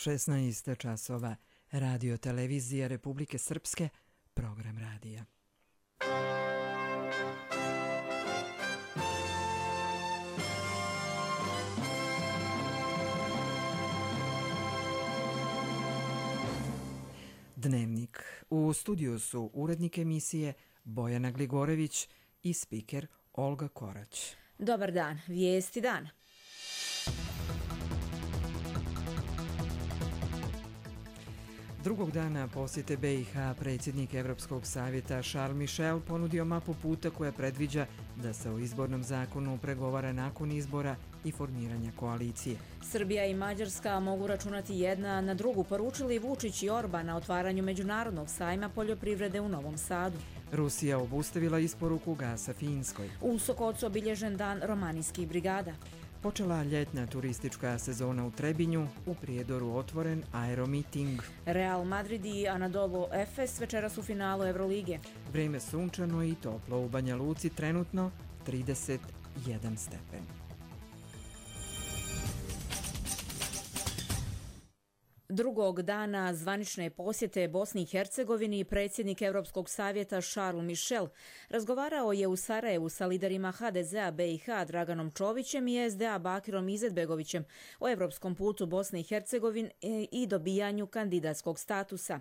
16 časova, Radio Televizija Republike Srpske, program radija. Dnevnik. U studiju su urednik emisije Bojana Gligorević i spiker Olga Korać. Dobar dan, vijesti dana. Drugog dana posjete BiH predsjednik Evropskog savjeta Charles Michel ponudio mapu puta koja predviđa da se o izbornom zakonu pregovara nakon izbora i formiranja koalicije. Srbija i Mađarska mogu računati jedna na drugu, poručili Vučić i Orban na otvaranju Međunarodnog sajma poljoprivrede u Novom Sadu. Rusija obustavila isporuku gasa Finskoj. U Sokocu obilježen dan romanijskih brigada. Počela ljetna turistička sezona u Trebinju, u Prijedoru otvoren aeromiting. Real Madrid i Anadolu Efes večeras u finalu Evrolige. Vrijeme sunčano i toplo u Banja Luci, trenutno 31 stepen. Drugog dana zvanične posjete Bosni i Hercegovini predsjednik Evropskog savjeta Charles Michel razgovarao je u Sarajevu sa liderima HDZ-a BiH Draganom Čovićem i SDA Bakirom Izetbegovićem o evropskom putu Bosne i Hercegovine i dobijanju kandidatskog statusa.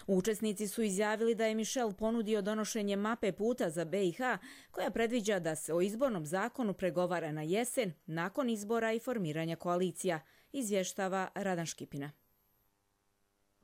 Učesnici su izjavili da je Michel ponudio donošenje mape puta za BiH koja predviđa da se o izbornom zakonu pregovara na jesen nakon izbora i formiranja koalicija, izvještava Radan Škipina.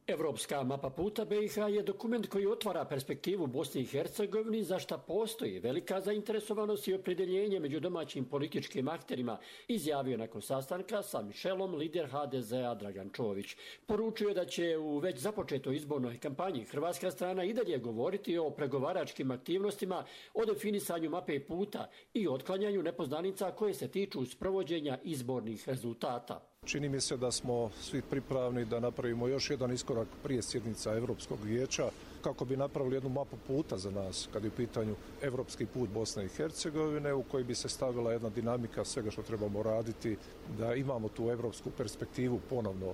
Evropska mapa puta BiH je dokument koji otvara perspektivu Bosni i Hercegovini, za šta postoji velika zainteresovanost i opredjeljenje među domaćim političkim akterima, izjavio nakon sastanka sa Michelom lider HDZ-a Dragan Čović. Poručio je da će u već započetoj izbornoj kampanji hrvatska strana i dalje govoriti o pregovaračkim aktivnostima, o definisanju mape puta i otklanjanju nepoznanica koje se tiču sprovođenja izbornih rezultata. Čini mi se da smo svi pripravni da napravimo još jedan iskorak prije sjednica Europskog vijeća kako bi napravili jednu mapu puta za nas kad je u pitanju evropski put Bosne i Hercegovine u kojoj bi se stavila jedna dinamika svega što trebamo raditi, da imamo tu evropsku perspektivu ponovno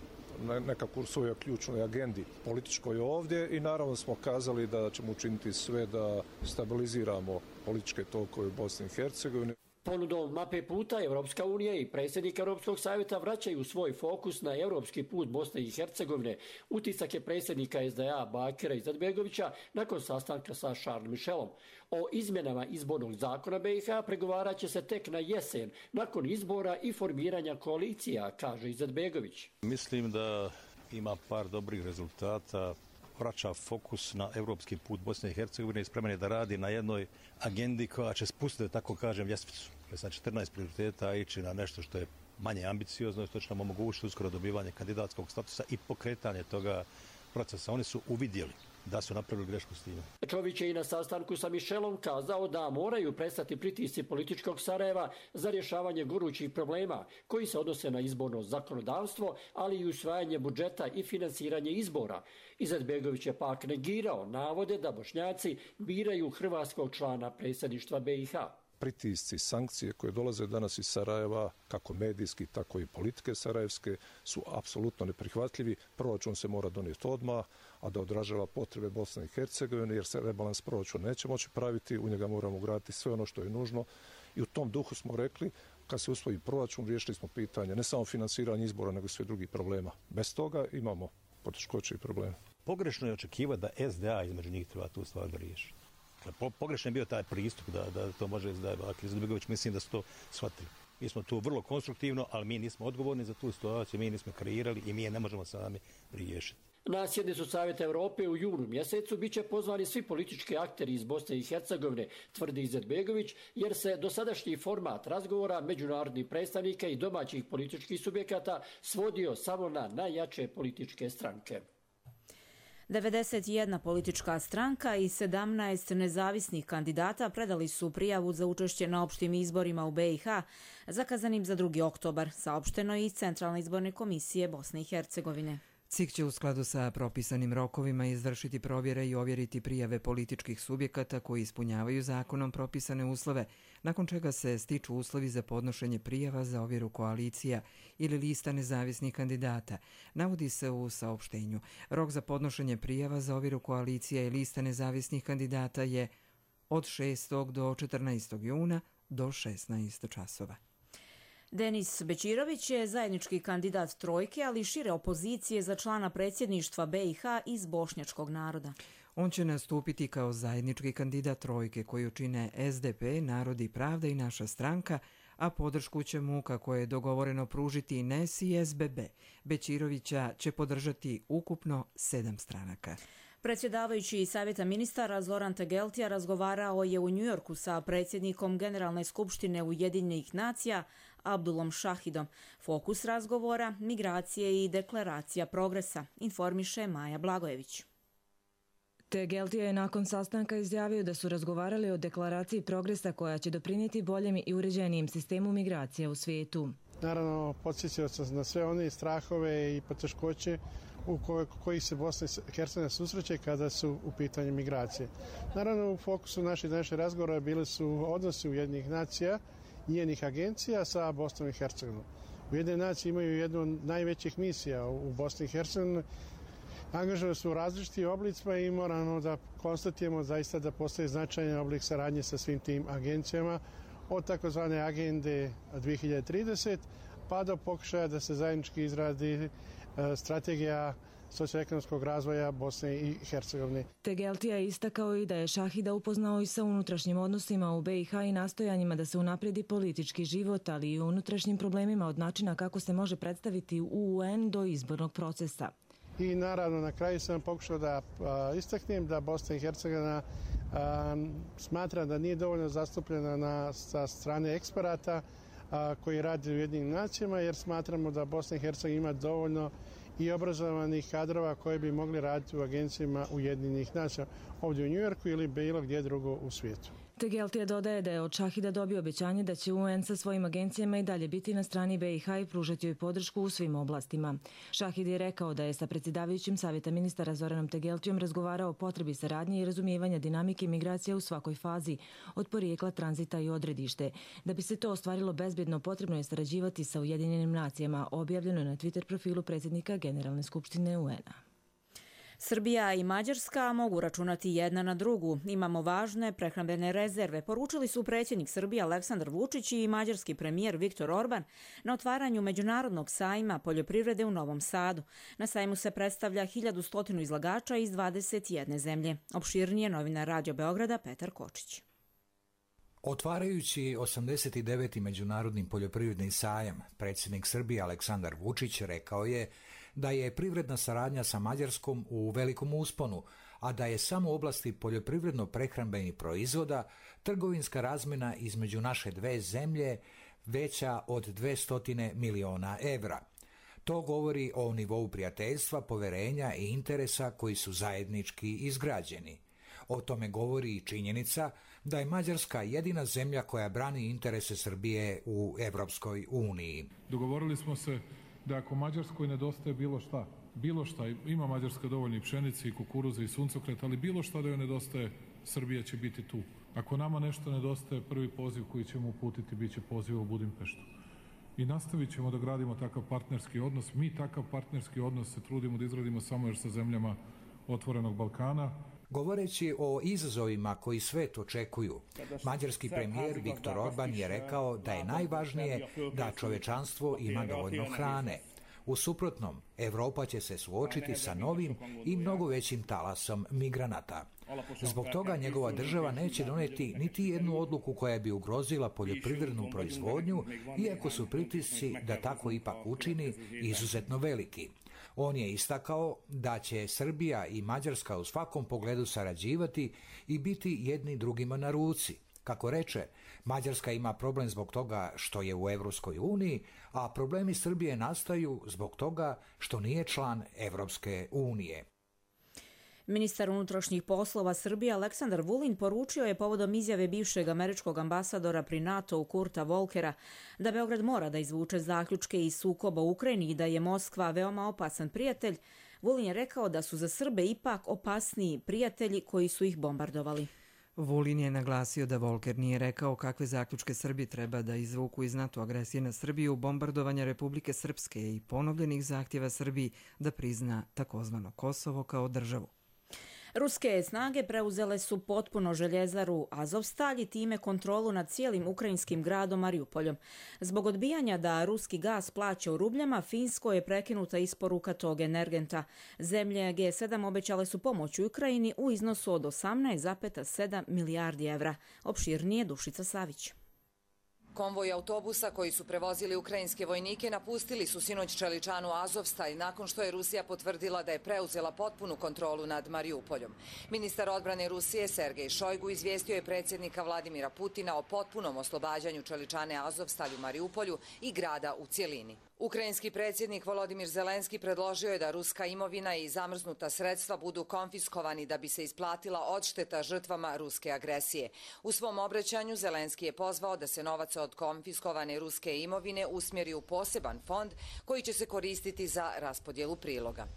nekako u svojoj ključnoj agendi političkoj ovdje i naravno smo kazali da ćemo učiniti sve da stabiliziramo političke tokove u Bosni i Hercegovini. Ponudom mape puta Evropska unija i predsjednik Europskog savjeta vraćaju svoj fokus na evropski put Bosne i Hercegovine. Utisak je predsjednika SDA Bakira Izetbegovića nakon sastanka sa Charles Michelom. O izmjenama izbornog zakona BiH pregovarat će se tek na jesen, nakon izbora i formiranja koalicija, kaže Izetbegović. Mislim da ima par dobrih rezultata. Vraća fokus na evropski put Bosne i Hercegovine i spreman je da radi na jednoj agendi koja će spustiti, tako kažem, ljestvicu. Sa 14 prioriteta ići na nešto što je manje ambiciozno i što će nam omogućiti uskoro dobivanje kandidatskog statusa i pokretanje toga procesa. Oni su uvidjeli da su napravili grešku s time. Čović je i na sastanku sa Michelom kazao da moraju prestati pritisci političkog Sarajeva za rješavanje gorućih problema koji se odnose na izborno zakonodavstvo, ali i usvajanje budžeta i finansiranje izbora. Izetbegović je pak negirao navode da Bošnjaci biraju hrvatskog člana predsjedništva BiH. Pritisci, sankcije koje dolaze danas iz Sarajeva, kako medijski, tako i politike sarajevske, su apsolutno neprihvatljivi. Proračun se mora donijeti odmah, a da odražava potrebe Bosne i Hercegovine, jer se rebalans proračuna neće moći praviti, u njega moramo ugraditi sve ono što je nužno. I u tom duhu smo rekli, kad se usvoji proračun, riješili smo pitanje ne samo financiranja izbora, nego i sve drugih problema. Bez toga imamo poteškoće i probleme. Pogrešno je očekivati da SDA između njih treba tu stvar da riješi. Pogrešno je bio taj pristup da to može SDA. Izetbegović, mislim da su to shvatili. Mi smo tu vrlo konstruktivno, ali mi nismo odgovorni za tu situaciju, mi nismo kreirali i mi je ne možemo sami riješiti. Na sjednicu Savjeta Europe u junu mjesecu biće pozvani svi politički akteri iz Bosne i Hercegovine, tvrdi Izetbegović, jer se dosadašnji format razgovora međunarodnih predstavnika i domaćih političkih subjekata svodio samo na najjače političke stranke. 91 politička stranka i 17 nezavisnih kandidata predali su prijavu za učešće na opštim izborima u BiH, zakazanim za 2. oktobar, saopšteno iz Centralne izborne komisije Bosne i Hercegovine. CIK će u skladu sa propisanim rokovima izvršiti provjere i ovjeriti prijave političkih subjekata koji ispunjavaju zakonom propisane uslove, nakon čega se stiču uslovi za podnošenje prijava za ovjeru koalicija ili lista nezavisnih kandidata. Navodi se u saopštenju. Rok za podnošenje prijava za ovjeru koalicija i lista nezavisnih kandidata je od 6. do 14. juna do 16 časova. Denis Bećirović je zajednički kandidat trojke, ali i šire opozicije za člana predsjedništva BiH iz bošnjačkog naroda. On će nastupiti kao zajednički kandidat trojke koju čine SDP, Narod i pravda i naša stranka, a podršku će mu, kako je dogovoreno, pružiti i NES i SBB. Bećirovića će podržati ukupno 7 stranaka. Predsjedavajući Savjeta ministara Zoran Tegeltija razgovarao je u Njujorku sa predsjednikom Generalne skupštine Ujedinjenih nacija Abdulom Šahidom. Fokus razgovora – migracije i deklaracija progresa, informiše Maja Blagojević. Tegeltija je nakon sastanka izjavio da su razgovarali o deklaraciji progresa koja će doprinijeti boljem i uređenijem sistemu migracija u svijetu. Naravno, podsjetio sam na sve one strahove i poteškoće u kojih se Bosna i Hercegovina susreće kada su u pitanju migracije. Naravno, u fokusu naših razgovora bili su odnosi Ujedinjenih nacija i njenih agencija sa Bosnom i Hercegovinom. Ujedinjene nacije imaju jednu od najvećih misija u Bosni i Hercegovini. Angažovani su u različitim oblicima i moramo da konstatujemo zaista da postoji značajan oblik saradnje sa svim tim agencijama, od takozvane agende 2030 pa do pokušaja da se zajednički izradi strategija socioekonomskog razvoja Bosne i Hercegovine. Tegeltija je istakao i da je Šahida upoznao i sa unutrašnjim odnosima u BiH i nastojanjima da se unapredi politički život, ali i o unutrašnjim problemima od načina kako se može predstaviti u UN do izbornog procesa. I naravno na kraju sam pokušao da istaknem da Bosna i Hercegovina smatra da nije dovoljno zastupljena sa strane eksperata koji radi u Ujedinjenim nacijama, jer smatramo da Bosna i Hercegovina ima dovoljno i obrazovanih kadrova koji bi mogli raditi u agencijama Ujedinjenih nacija ovdje u Njujorku ili bilo gdje drugo u svijetu. Tegeltija dodaje da je od Šahida dobio obećanje da će UN sa svojim agencijama i dalje biti na strani BiH i pružati joj podršku u svim oblastima. Šahid je rekao da je sa predsjedavajućim Savjeta ministara Zoranom Tegeltijom razgovarao o potrebi saradnje i razumijevanja dinamike migracija u svakoj fazi, od porijekla, tranzita i odredište. Da bi se to ostvarilo bezbjedno, potrebno je sarađivati sa Ujedinjenim nacijama, objavljeno na Twitter profilu predsjednika Generalne skupštine UN-a. Srbija i Mađarska mogu računati jedna na drugu. Imamo važne prehrambene rezerve, poručili su predsjednik Srbije Aleksandar Vučić i mađarski premijer Viktor Orban na otvaranju Međunarodnog sajma poljoprivrede u Novom Sadu. Na sajmu se predstavlja 1100 izlagača iz 21 zemlje. Opširnije novinar Radio Beograda Petar Kočić. Otvarajući 89. Međunarodni poljoprivredni sajam, predsjednik Srbije Aleksandar Vučić rekao je da je privredna saradnja sa Mađarskom u velikom usponu, a da je samo u oblasti poljoprivredno-prehrambenih proizvoda trgovinska razmjena između naše dve zemlje veća od 200 miliona evra. To govori o nivou prijateljstva, poverenja i interesa koji su zajednički izgrađeni. O tome govori i činjenica da je Mađarska jedina zemlja koja brani interese Srbije u Evropskoj uniji. Dogovorili smo se da ako Mađarskoj nedostaje bilo šta, ima Mađarska dovoljno i pšenice i kukuruza i suncokreta, ali bilo šta da joj nedostaje, Srbija će biti tu. Ako nama nešto nedostaje, prvi poziv koji ćemo uputiti bit će poziv u Budimpeštu. I nastavit ćemo da gradimo takav partnerski odnos. Mi takav partnerski odnos se trudimo da izradimo samo još sa zemljama Otvorenog Balkana. Govoreći o izazovima koji svet očekuju, mađarski premijer Viktor Orban je rekao da je najvažnije da čovečanstvo ima dovoljno hrane. U suprotnom, Evropa će se suočiti sa novim i mnogo većim talasom migranata. Zbog toga njegova država neće doneti niti jednu odluku koja bi ugrozila poljoprivrednu proizvodnju, iako su pritisci da tako ipak učini izuzetno veliki. On je istakao da će Srbija i Mađarska u svakom pogledu sarađivati i biti jedni drugima na ruci. Kako reče, Mađarska ima problem zbog toga što je u Evropskoj uniji, a problemi Srbije nastaju zbog toga što nije član Evropske unije. Ministar unutrašnjih poslova Srbije Aleksandar Vulin poručio je povodom izjave bivšeg američkog ambasadora pri NATO-u Kurta Volkera da Beograd mora da izvuče zaključke iz sukoba u Ukrajini i da je Moskva veoma opasan prijatelj, Vulin je rekao da su za Srbe ipak opasniji prijatelji koji su ih bombardovali. Vulin je naglasio da Volker nije rekao kakve zaključke Srbi treba da izvuku iz NATO agresije na Srbiju, bombardovanja Republike Srpske i ponovljenih zahtjeva Srbiji da prizna takozvano Kosovo kao državu. Ruske snage preuzele su potpuno željezaru Azovstalj i time kontrolu nad cijelim ukrajinskim gradom Mariupoljom. Zbog odbijanja da ruski gas plaća u rubljama, Finskoj je prekinuta isporuka tog energenta. Zemlje G7 obećale su pomoć Ukrajini u iznosu od 18,7 milijardi evra. Opširnije Dušica Savić. Konvoj autobusa koji su prevozili ukrajinske vojnike napustili su sinoć čeličanu Azovstalj nakon što je Rusija potvrdila da je preuzela potpunu kontrolu nad Mariupoljom. Ministar odbrane Rusije Sergej Šojgu izvijestio je predsjednika Vladimira Putina o potpunom oslobađanju čeličane Azovstalj u Mariupolju i grada u cjelini. Ukrajinski predsjednik Volodimir Zelenski predložio je da ruska imovina i zamrznuta sredstva budu konfiskovani da bi se isplatila odšteta žrtvama ruske agresije. U svom obraćanju Zelenski je pozvao da se novac od konfiskovane ruske imovine usmjeri u poseban fond koji će se koristiti za raspodjelu priloga.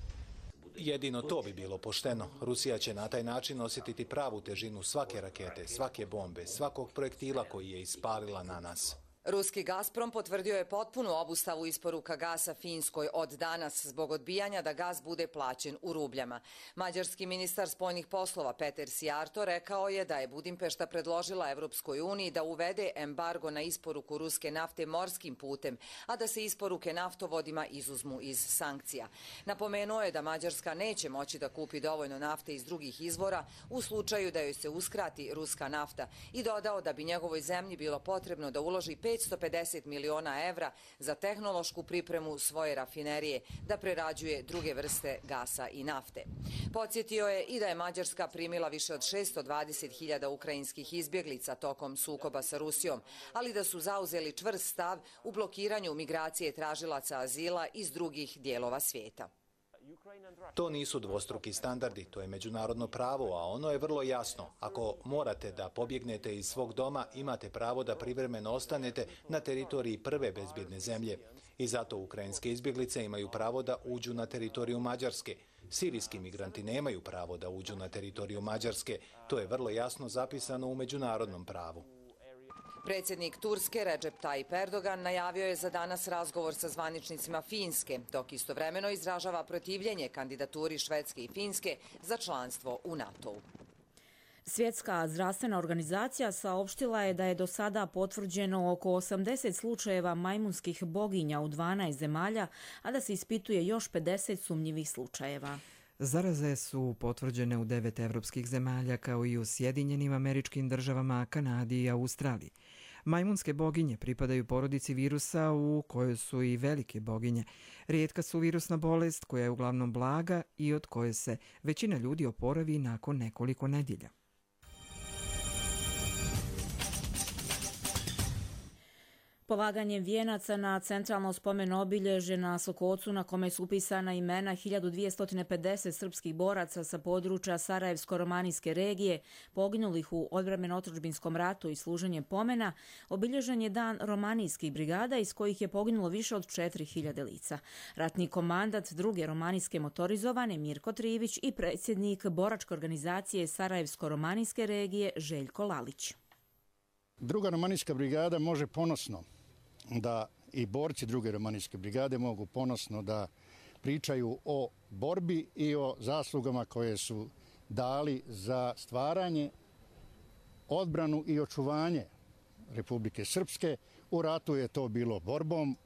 Jedino to bi bilo pošteno. Rusija će na taj način osjetiti pravu težinu svake rakete, svake bombe, svakog projektila koji je ispalila na nas. Ruski Gazprom potvrdio je potpunu obustavu isporuka gasa Finskoj od danas zbog odbijanja da gas bude plaćen u rubljama. Mađarski ministar spoljnih poslova Peter Sijarto rekao je da je Budimpešta predložila Evropskoj uniji da uvede embargo na isporuku ruske nafte morskim putem, a da se isporuke naftovodima izuzmu iz sankcija. Napomenuo je da Mađarska neće moći da kupi dovoljno nafte iz drugih izvora u slučaju da joj se uskrati ruska nafta i dodao da bi njegovoj zemlji bilo potrebno da uloži 550 miliona evra za tehnološku pripremu svoje rafinerije da prerađuje druge vrste gasa i nafte. Podsjetio je i da je Mađarska primila više od 620.000 ukrajinskih izbjeglica tokom sukoba sa Rusijom, ali da su zauzeli čvrst stav u blokiranju migracije tražilaca azila iz drugih dijelova svijeta. To nisu dvostruki standardi, to je međunarodno pravo, a ono je vrlo jasno. Ako morate da pobjegnete iz svog doma, imate pravo da privremeno ostanete na teritoriji prve bezbjedne zemlje. I zato ukrajinske izbjeglice imaju pravo da uđu na teritoriju Mađarske. Sirijski migranti nemaju pravo da uđu na teritoriju Mađarske. To je vrlo jasno zapisano u međunarodnom pravu. Predsjednik Turske Recep Tayyip Erdogan najavio je za danas razgovor sa zvaničnicima Finske, dok istovremeno izražava protivljenje kandidaturi Švedske i Finske za članstvo u NATO-u. Svjetska zdravstvena organizacija saopštila je da je do sada potvrđeno oko 80 slučajeva majmunskih boginja u 12 zemalja, a da se ispituje još 50 sumnjivih slučajeva. Zaraze su potvrđene u 9 evropskih zemalja kao i u Sjedinjenim Američkim Državama, Kanadi i Australiji. Majmunske boginje pripadaju porodici virusa u kojoj su i velike boginje. Rijetka su virusna bolest koja je uglavnom blaga i od koje se većina ljudi oporavi nakon nekoliko nedjelja. Polaganjem vijenaca na centralno spomeno obilježje na Sokocu na kome su upisana imena 1250 srpskih boraca sa područja Sarajevsko-romanijske regije poginulih u odbrambeno-otadžbinskom ratu i služenjem pomena, obilježen je dan romanijskih brigada iz kojih je poginulo više od 4000 lica. Ratni komandat druge romanijske motorizovane Mirko Trivić i predsjednik boračke organizacije Sarajevsko-romanijske regije Željko Lalić. Druga romanijska brigada može ponosno da i borci druge romanijske brigade mogu ponosno da pričaju o borbi i o zaslugama koje su dali za stvaranje, odbranu i očuvanje Republike Srpske. U ratu je to bilo borbom,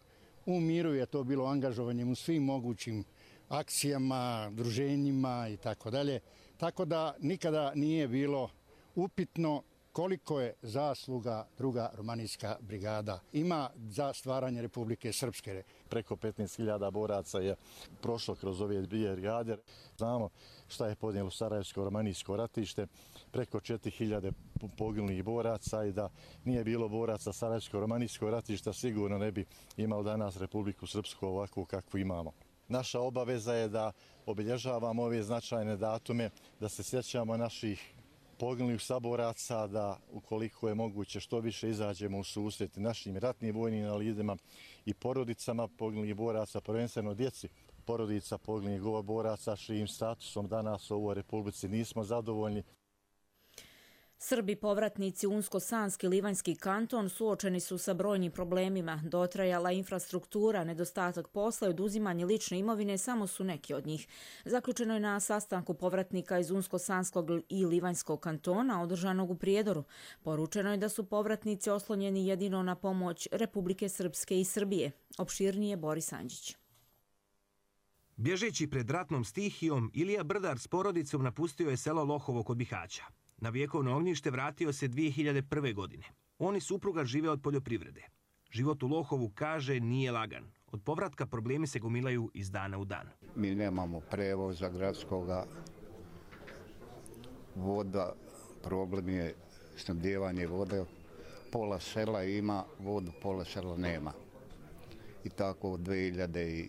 u miru je to bilo angažovanjem u svim mogućim akcijama, druženjima i tako dalje. Tako da nikada nije bilo upitno koliko je zasluga druga romanijska brigada ima za stvaranje Republike Srpske. Preko 15.000 boraca je prošlo kroz ove dvije brigade. Znamo šta je podnijelo Sarajevsko-romanijsko ratište, preko 4.000 poginulih boraca i da nije bilo boraca Sarajevsko-romanijskog ratišta sigurno ne bi imao danas Republiku Srpsku ovakvu kakvu imamo. Naša obaveza je da obilježavamo ove značajne datume, da se sjećamo naših poginulih saboraca, da ukoliko je moguće što više izađemo u susret našim ratnim vojnim invalidima i porodicama poginulih boraca, prvenstveno djeci porodica poginulih boraca, čijim statusom danas u ovoj Republici nismo zadovoljni. Srbi povratnici u Unsko-Sanski Livanjski kanton suočeni su sa brojnim problemima. Dotrajala infrastruktura, nedostatak posla i oduzimanje lične imovine samo su neki od njih. Zaključeno je na sastanku povratnika iz Unsko-Sanskog i Livanjskog kantona održanog u Prijedoru. Poručeno je da su povratnici oslonjeni jedino na pomoć Republike Srpske i Srbije. Opširnije Boris Anđić. Bježeći pred ratnom stihijom, Ilija Brdar s porodicom napustio je selo Lohovo kod Bihaća. Na vjekovno ognjište vratio se 2001. godine. On i supruga žive od poljoprivrede. Život u Lohovu, kaže, nije lagan. Od povratka problemi se gomilaju iz dana u dan. Mi nemamo prevoza gradskoga, voda, problem je snabdijevanje vode. Pola sela ima vodu, pola sela nema. I tako od 2001.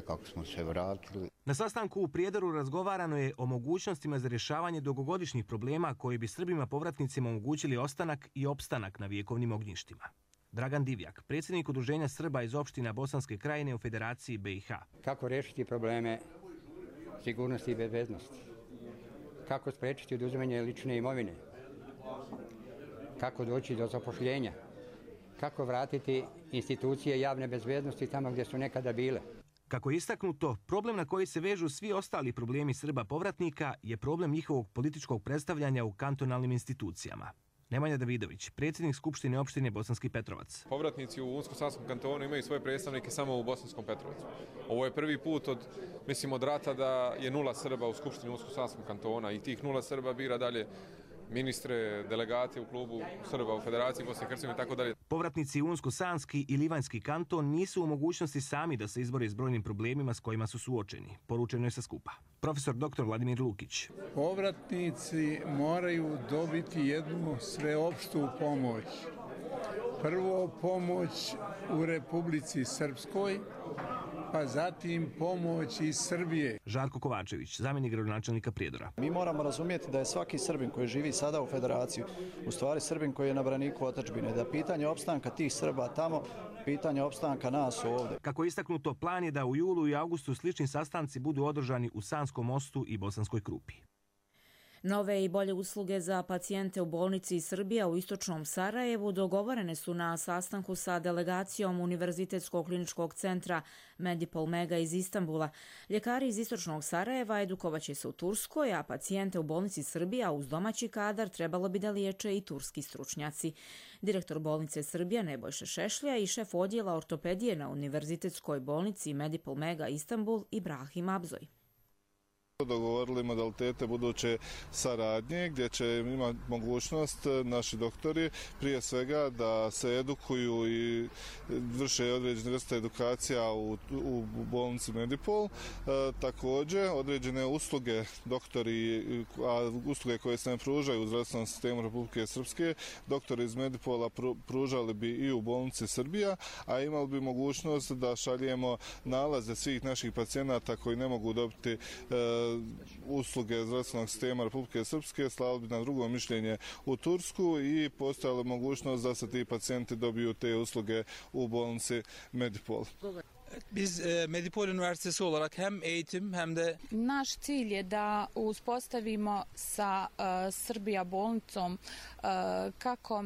kako smo se vratili. Na sastanku u Prijedoru razgovarano je o mogućnostima za rješavanje dugogodišnjih problema koji bi Srbima povratnicima omogućili ostanak i opstanak na vjekovnim ognjištima. Dragan Divjak, predsjednik Udruženja Srba iz opština Bosanske Krajine u Federaciji BiH. Kako riješiti probleme sigurnosti i bezbednosti? Kako spriječiti oduzimanje lične imovine? Kako doći do zapošljenja? Kako vratiti institucije javne bezbednosti tamo gdje su nekada bile? Kako je istaknuto, problem na koji se vežu svi ostali problemi Srba povratnika je problem njihovog političkog predstavljanja u kantonalnim institucijama. Nemanja Davidović, predsjednik Skupštine opštine Bosanski Petrovac. Povratnici u Unsko-Sanskom kantonu imaju svoje predstavnike samo u Bosanskom Petrovcu. Ovo je prvi put od rata da je 0 Srba u Skupštini Unsko-Sanskog kantona i tih 0 Srba bira dalje ministre, delegate u klubu Srba u Federaciji Bosne i Hercegovine i tako dalje. Povratnici u Unsko-Sanski i Livanjski kanton nisu u mogućnosti sami da se izbore s brojnim problemima s kojima su suočeni. Poručeno je sa skupa. Profesor dr. Vladimir Lukić. Povratnici moraju dobiti jednu sveopštu pomoć. Prvo pomoć u Republici Srpskoj, pa zatim pomoć iz Srbije. Žarko Kovačević, zamjenik gradonačelnika Prijedora. Mi moramo razumjeti da je svaki Srbin koji živi sada u Federaciji u stvari Srbin koji je na braniku otadžbine, da pitanje opstanka tih Srba tamo, pitanje opstanka nas ovdje. Kako je istaknuto, plan je da u julu i augustu slični sastanci budu održani u Sanskom Mostu i Bosanskoj Krupi. Nove i bolje usluge za pacijente u bolnici Srbija u istočnom Sarajevu dogovorene su na sastanku sa delegacijom Univerzitetskog kliničkog centra Medipol Mega iz Istanbula. Ljekari iz istočnog Sarajeva edukovaće se u Turskoj, a pacijente u bolnici Srbija uz domaći kadar trebalo bi da liječe i turski stručnjaci. Direktor bolnice Srbija Nebojša Šešlja i šef odjela ortopedije na Univerzitetskoj bolnici Medipol Mega Istanbul Ibrahim Abzoj. Dogovorili modalitete buduće saradnje gdje će imati mogućnost naši doktori prije svega da se edukuju i vrše određene vrste edukacija u bolnici Medipol. Također određene usluge doktori, a usluge koje se ne pružaju u zdravstvenom sistemu Republike Srpske, doktori iz Medipola pružali bi i u bolnici Srbija, a imali bi mogućnost da šaljemo nalaze svih naših pacijenata koji ne mogu dobiti usluge zdravstvenog sistema Republike Srpske, slali bi na drugo mišljenje u Tursku i postojala mogućnost da se ti pacijenti dobiju te usluge u bolnici Medipol. Biz Medipol Üniversitesi olarak hem eğitim hem de... Naš cilj je da uspostavimo sa Srbija bolnicom kako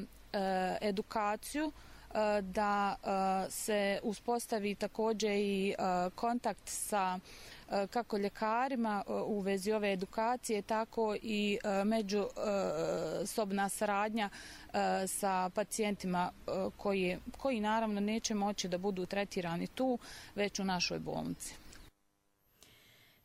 edukaciju, da se uspostavi također i kontakt sa kako ljekarima u vezi ove edukacije, tako i međusobna saradnja sa pacijentima koji naravno neće moći da budu tretirani tu, već u našoj bolnici.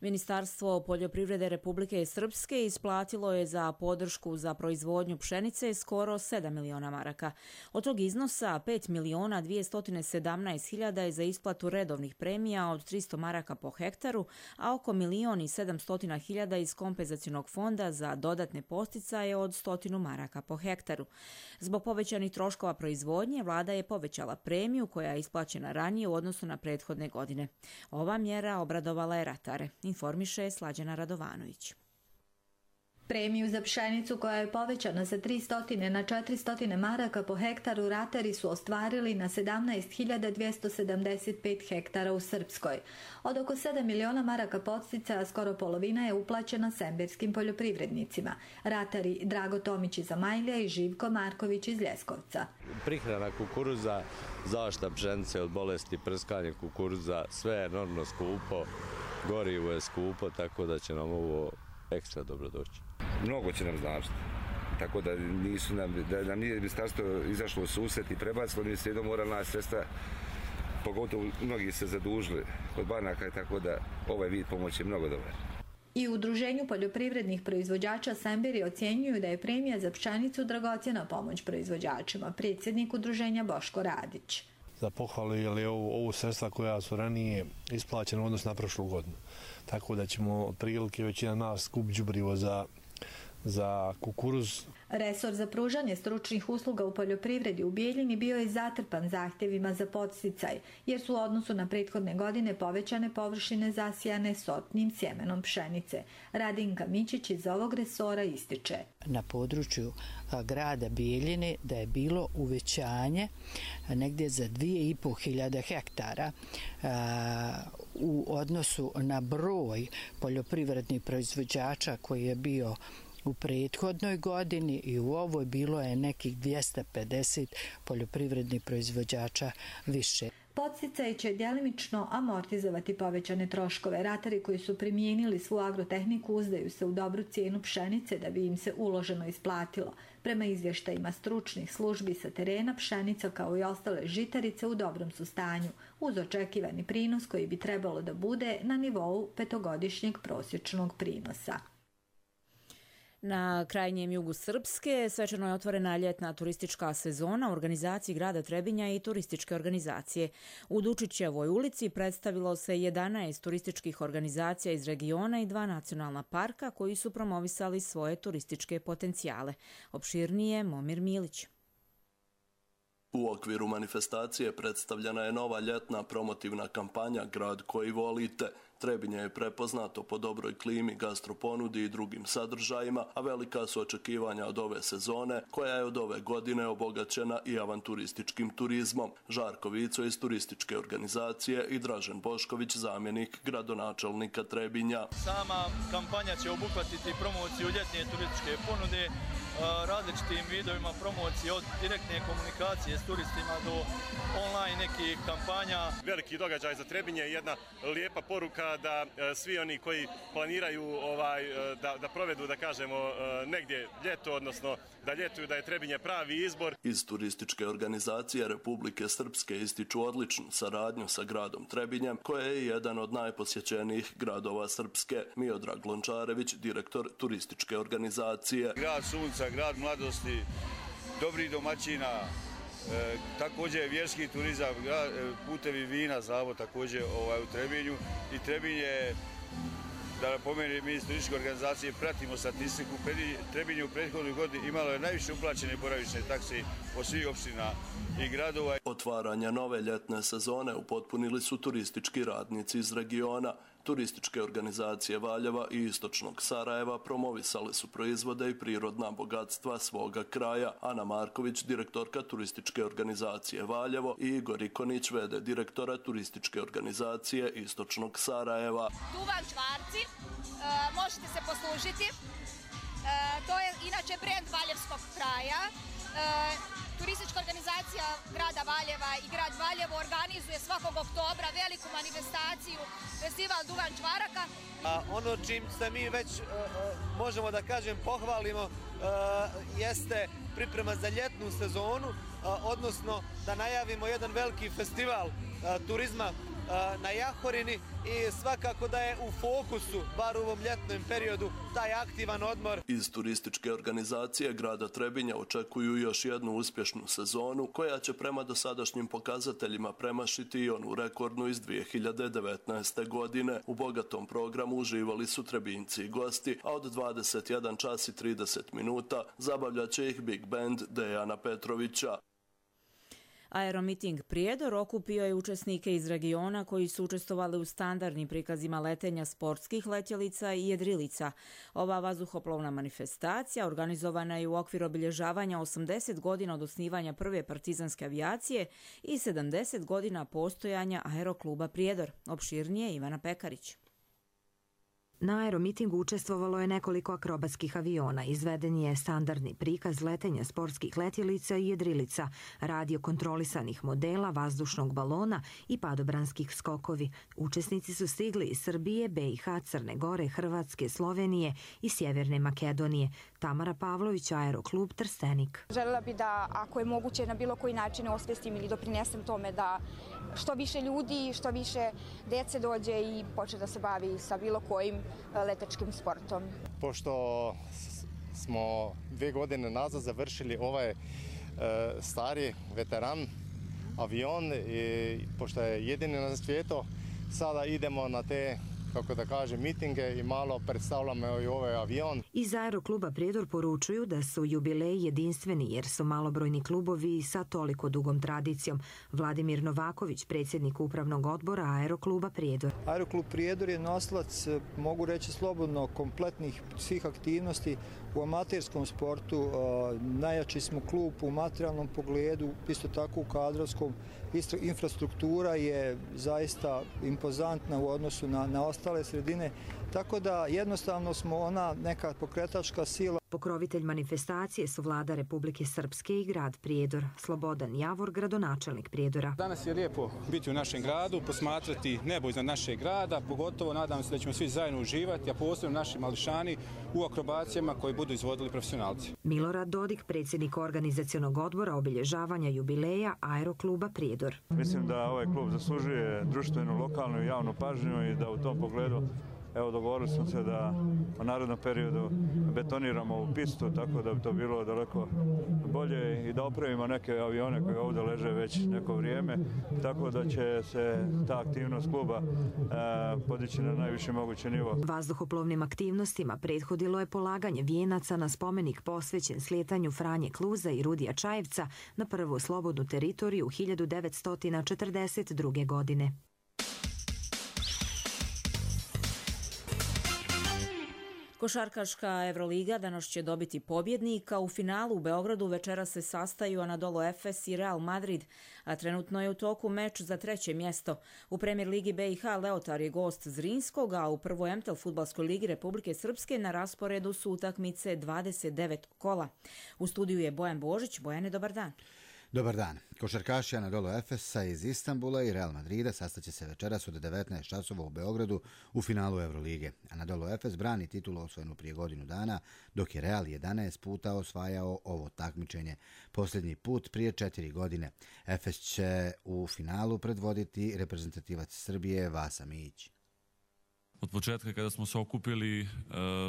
Ministarstvo poljoprivrede Republike Srpske isplatilo je za podršku za proizvodnju pšenice skoro 7 miliona maraka. Od tog iznosa 5 miliona 217 hiljada je za isplatu redovnih premija od 300 maraka po hektaru, a oko 1.700.000 hiljada iz kompenzacionog fonda za dodatne posticaje od 100 maraka po hektaru. Zbog povećanih troškova proizvodnje, vlada je povećala premiju koja je isplaćena ranije u odnosu na prethodne godine. Ova mjera obradovala je ratare, informiše Slađana Radovanović. Premiju za pšenicu koja je povećana sa 300 na 400 maraka po hektaru ratari su ostvarili na 17.275 hektara u Srpskoj. Od oko 7 miliona maraka podsticaja skoro polovina je uplaćena semberskim poljoprivrednicima. Ratari Drago Tomić iz Zamajlija i Živko Marković iz Ljeskovca. Prihrana kukuruza, zaštita pšenice od bolesti, prskanje kukuruza, sve je enormno skupo, gorivo je skupo, tako da će nam ovo ekstra dobro doći. Mnogo će nam značiti. Tako da nam nije ministarstvo izašlo u susret i prebacilo, mi se jednom morali naći sredstva, pogotovo mnogi se zadužili kod banaka, tako da ovaj vid pomoći je mnogo dobar. I u Udruženju poljoprivrednih proizvođača Semberi ocjenjuju da je premija za pšenicu dragocjena pomoć proizvođačima. Predsjednik udruženja Boško Radić. Za pohvalu je ovo sredstva koja su ranije isplaćena u odnosu na prošlu godinu. Tako da ćemo otprilike većina nas kup đubrivo za kukuruz. Resor za pružanje stručnih usluga u poljoprivredi u Bijeljini bio je zatrpan zahtjevima za podsticaj, jer su u odnosu na prethodne godine povećane površine zasijane sortnim sjemenom pšenice. Radinka Mićić iz ovog resora ističe. Na području grada Bijeljine da je bilo uvećanje negdje za 2.500 hektara u odnosu na broj poljoprivrednih proizvođača koji je bio u prethodnoj godini i u ovoj bilo je nekih 250 poljoprivrednih proizvođača više. Podsticaj će djelimično amortizovati povećane troškove. Ratari koji su primijenili svu agrotehniku uzdaju se u dobru cijenu pšenice da bi im se uloženo isplatilo. Prema izvještajima stručnih službi sa terena, pšenica kao i ostale žitarice u dobrom su stanju, uz očekivani prinos koji bi trebalo da bude na nivou petogodišnjeg prosječnog prinosa. Na krajnjem jugu Srpske svečano je otvorena ljetna turistička sezona u organizaciji grada Trebinja i turističke organizacije. U Dučićevoj ulici predstavilo se 11 turističkih organizacija iz regiona i 2 nacionalna parka koji su promovisali svoje turističke potencijale. Opširnije Momir Milić. U okviru manifestacije predstavljena je nova ljetna promotivna kampanja Grad koji volite. Trebinje je prepoznato po dobroj klimi, gastroponudi i drugim sadržajima, a velika su očekivanja od ove sezone, koja je od ove godine obogaćena i avanturističkim turizmom. Žarko Vico iz turističke organizacije i Dražen Bošković, zamjenik gradonačelnika Trebinja. Sama kampanja će obuhvatiti promociju ljetne turističke ponude, različitim vidovima promocije od direktne komunikacije s turistima do online nekih kampanja. Veliki događaj za Trebinje je jedna lijepa poruka da svi oni koji planiraju da provedu, da kažemo, negdje ljeto, odnosno da ljetuju, da je Trebinje pravi izbor. Iz turističke organizacije Republike Srpske ističu odličnu saradnju sa gradom Trebinjem, koja je jedan od najposjećenijih gradova Srpske. Miodrag Lončarević, direktor turističke organizacije. Grad sunca, grad mladosti, dobrih domaćina, također vjerski turizam, putevi vina, zavod također u Trebinju. I Trebinje, da napomenem, mi iz turističke organizacije pratimo statistiku. Trebinje u prethodnoj godini imalo je najviše uplaćene boravišne takse od svih opština i gradova. Otvaranja nove ljetne sezone upotpunili su turistički radnici iz regiona. Turističke organizacije Valjeva i istočnog Sarajeva promovisale su proizvode i prirodna bogatstva svoga kraja. Ana Marković, direktorka turističke organizacije Valjevo, i Igor Ikonić, v.d. direktora turističke organizacije istočnog Sarajeva. Duvan čvarci, možete se poslužiti. To je inače brend valjevskog kraja. Turistička organizacija grada Valjeva i grad Valjevo organizuje svakog oktobra veliku manifestaciju, festival Duvan čvaraka. Ono čim se mi već, možemo da kažem, pohvalimo, jeste priprema za ljetnu sezonu, odnosno da najavimo jedan veliki festival turizma na Jahorini i svakako da je u fokusu, bar u ovom ljetnom periodu, taj aktivan odmor. Iz turističke organizacije grada Trebinja očekuju još jednu uspješnu sezonu koja će prema dosadašnjim pokazateljima premašiti i onu rekordnu iz 2019. godine. U bogatom programu uživali su Trebinjci i gosti, a od 21 čas i 30 minuta zabavljaće ih Big Band Dejana Petrovića. Aeromiting Prijedor okupio je učesnike iz regiona koji su učestvovali u standardnim prikazima letenja sportskih letjelica i jedrilica. Ova vazduhoplovna manifestacija organizovana je u okviru obilježavanja 80 godina od osnivanja prve partizanske avijacije i 70 godina postojanja Aerokluba Prijedor. Opširnije Ivana Pekarić. Na aeromitingu učestvovalo je nekoliko akrobatskih aviona. Izveden je standardni prikaz letenja sportskih letjelica i jedrilica, radio kontrolisanih modela, vazdušnog balona i padobranskih skokovi. Učesnici su stigli iz Srbije, BiH, Crne Gore, Hrvatske, Slovenije i Sjeverne Makedonije. Tamara Pavlović, Aeroklub Trstenik. Želela bi da, ako je moguće, na bilo koji način osvestim ili doprinesem tome da što više ljudi, što više dece dođe i počne da se bavi sa bilo kojim letačkim sportom. Pošto smo 2 godine nazad završili ovaj stari veteran avion i pošto je jedini na svijetu, sada idemo na te, kako da kažem, mitinge i malo predstavljamo i ovaj avion. Iz Aerokluba Prijedor poručuju da su jubileji jedinstveni jer su malobrojni klubovi sa toliko dugom tradicijom. Vladimir Novaković, predsjednik upravnog odbora Aerokluba Prijedor. Aeroklub Prijedor je nosilac, mogu reći slobodno, kompletnih svih aktivnosti u amaterskom sportu. Najjači smo klub u materijalnom pogledu, isto tako u kadrovskom. Infrastruktura je zaista impozantna u odnosu na ostale sredine, tako da jednostavno smo ona neka pokretačka sila. Pokrovitelj manifestacije su vlada Republike Srpske i grad Prijedor. Slobodan Javor, gradonačelnik Prijedora. Danas je lijepo biti u našem gradu, posmatrati nebo iznad našeg grada, pogotovo nadam se da ćemo svi zajedno uživati, a posebno naši mališani u akrobacijama koji budu izvodili profesionalci. Milorad Dodik, predsjednik organizacionog odbora obilježavanja jubileja Aerokluba Prijedor. Mislim da ovaj klub zaslužuje društvenu, lokalnu i javnu pažnju i da u tom pogledu dogovorili smo se da u narednom periodu betoniramo ovu pistu, tako da bi to bilo daleko bolje i da opravimo neke avione koji ovdje leže već neko vrijeme, tako da će se ta aktivnost kluba podići na najviši mogući nivo. Vazduhoplovnim aktivnostima prethodilo je polaganje vijenaca na spomenik posvećen slijetanju Franje Kluza i Rudija Čajevca na prvu slobodnu teritoriju 1942. godine. Košarkaška Evroliga danas će dobiti pobjednika. U finalu u Beogradu večera se sastaju Anadolu Efes i Real Madrid, a trenutno je u toku meč za 3. mjesto. U Premier ligi BiH Leotar je gost Zrinskog, a u prvoj MTEL fudbalskoj ligi Republike Srpske na rasporedu su utakmice 29 kola. U studiju je Bojan Božić. Bojane, dobar dan. Dobar dan. Košarkaši Anadolu Efesa iz Istanbula i Real Madrida sastaće se večeras od 19 časova u Beogradu u finalu Evrolige. Anadolu Efes brani titulu osvojenu prije godinu dana, dok je Real 11 puta osvajao ovo takmičenje. Posljednji put prije 4 godine. Efes će u finalu predvoditi reprezentativac Srbije Vasa Mijić. Od početka kada smo se okupili,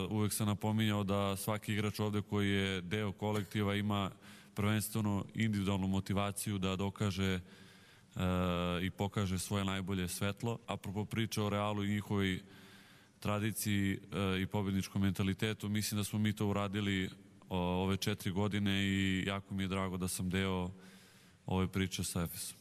uvek sam napominjao da svaki igrač ovdje koji je deo kolektiva ima prvenstveno individualnu motivaciju da dokaže i pokaže svoje najbolje svetlo. Apropo priče o Realu i njihovoj tradiciji i pobjedničkom mentalitetu, mislim da smo mi to uradili ove 4 godine i jako mi je drago da sam deo ove priče sa Efesom.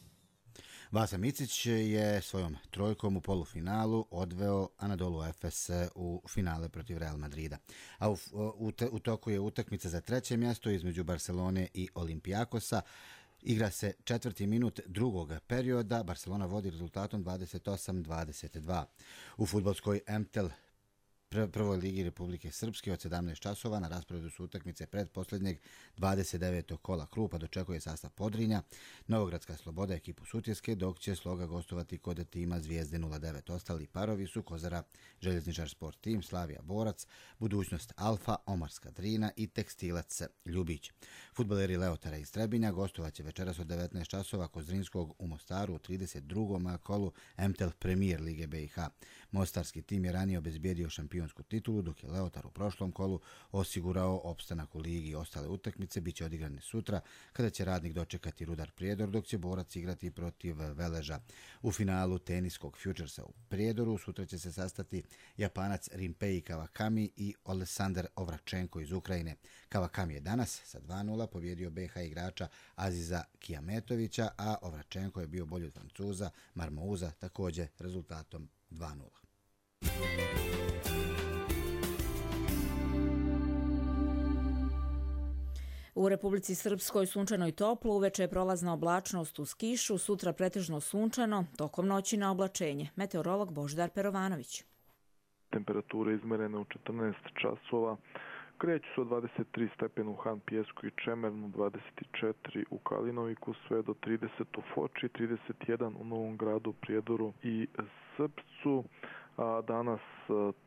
Vasa Micić je svojom trojkom u polufinalu odveo Anadolu Efes u finale protiv Real Madrida. A u toku je utakmica za 3. mjesto između Barcelone i Olimpijakosa. Igra se 4. minut drugog perioda. Barcelona vodi rezultatom 28-22. U fudbalskoj MTEL prvoj ligi Republike Srpske od 17 časova na rasporedu su utakmice predposljednjeg 29. kola. Krupa dočekuje sastav Podrinja, Novogradska Sloboda ekipu Sutjeske, dok će Sloga gostovati kod tima Zvijezde 09. Ostali parovi su Kozara Željezničar Sport Tim, Slavija Borac, Budućnost Alfa, Omarska Drina i Tekstilac Ljubić. Fudbaleri Leotara iz Trebinja gostovaće večeras od 19 časova kod Zrinskog u Mostaru u 32. kolu MTEL Premier Lige BiH. Mostarski tim je ranije obezbijedio šampion šampionsku titulu, dok je Leotar u prošlom kolu osigurao opstanak u ligi. Ostale utakmice biće odigrane sutra, kada će Radnik dočekati Rudar Prijedor, dok će Borac igrati protiv Veleža. U finalu teniskog Futuresa u Prijedoru sutra će se sastati Japanac Rimpei Kawakami i Oleksandar Ovračenko iz Ukrajine. Kawakami je danas sa 2:0 pobjedio BH igrača Aziza Kijametovića, a Ovračenko je bio bolji od Francuza Marmouza također rezultatom 2:0. U Republici Srpskoj sunčano i toplo, uveče je prolazna oblačnost uz kišu, sutra pretežno sunčano, tokom noći na oblačenje. Meteorolog Božidar Perovanović. Temperature izmerene u 14 časova kreću se od 23 stepena u Han Pijesku i Čemernu, 24 u Kalinoviku, sve do 30 u Foči, 31 u Novom Gradu, Prijedoru i Srpcu. A danas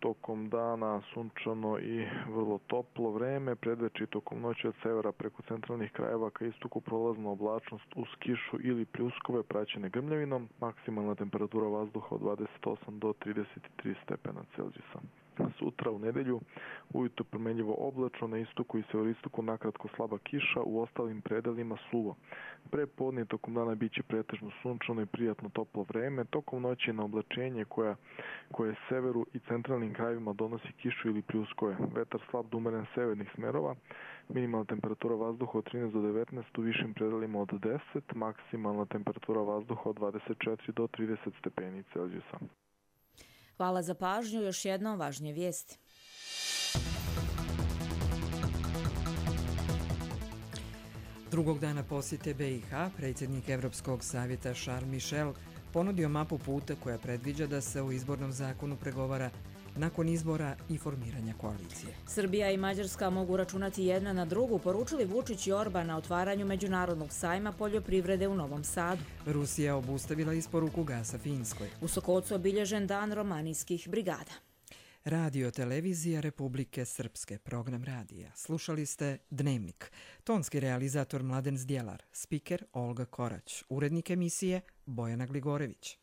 tokom dana sunčano i vrlo toplo vreme, predveče tokom noći od severa preko centralnih krajeva ka istoku prolazna oblačnost uz kišu ili pljuskove praćene grmljavinom, maksimalna temperatura vazduha od 28 do 33 stepena Celzijusa. Sutra u nedelju ujutro promenljivo oblačno, na istoku i severistoku nakratko slaba kiša, u ostalim predelima suvo. Pre podne tokom dana biće pretežno sunčano i prijatno toplo vreme, tokom noći na oblačenje koje severu i centralnim krajevima donosi kišu ili pljuskove. Vetar slab do umeren severnih smerova, minimalna temperatura vazduha od 13 do 19, u višim predelima od 10, maksimalna temperatura vazduha od 24 do 30 stepeni Celzijusa. Hvala za pažnju, još jednom važnije vijesti. Drugog dana posjete BiH, predsjednik Evropskog savjeta Charles Michel ponudio mapu puta koja predviđa da se u izbornom zakonu pregovara nakon izbora i formiranja koalicije. Srbija i Mađarska mogu računati jedna na drugu, poručili Vučić i Orban na otvaranju Međunarodnog sajma poljoprivrede u Novom Sadu. Rusija obustavila isporuku gasa Finskoj. U Sokocu obilježen dan romanijskih brigada. Radio televizija Republike Srpske, program radija. Slušali ste Dnevnik. Tonski realizator Mladen Zdjelar, spiker Olga Korać, urednik emisije Bojana Gligorević.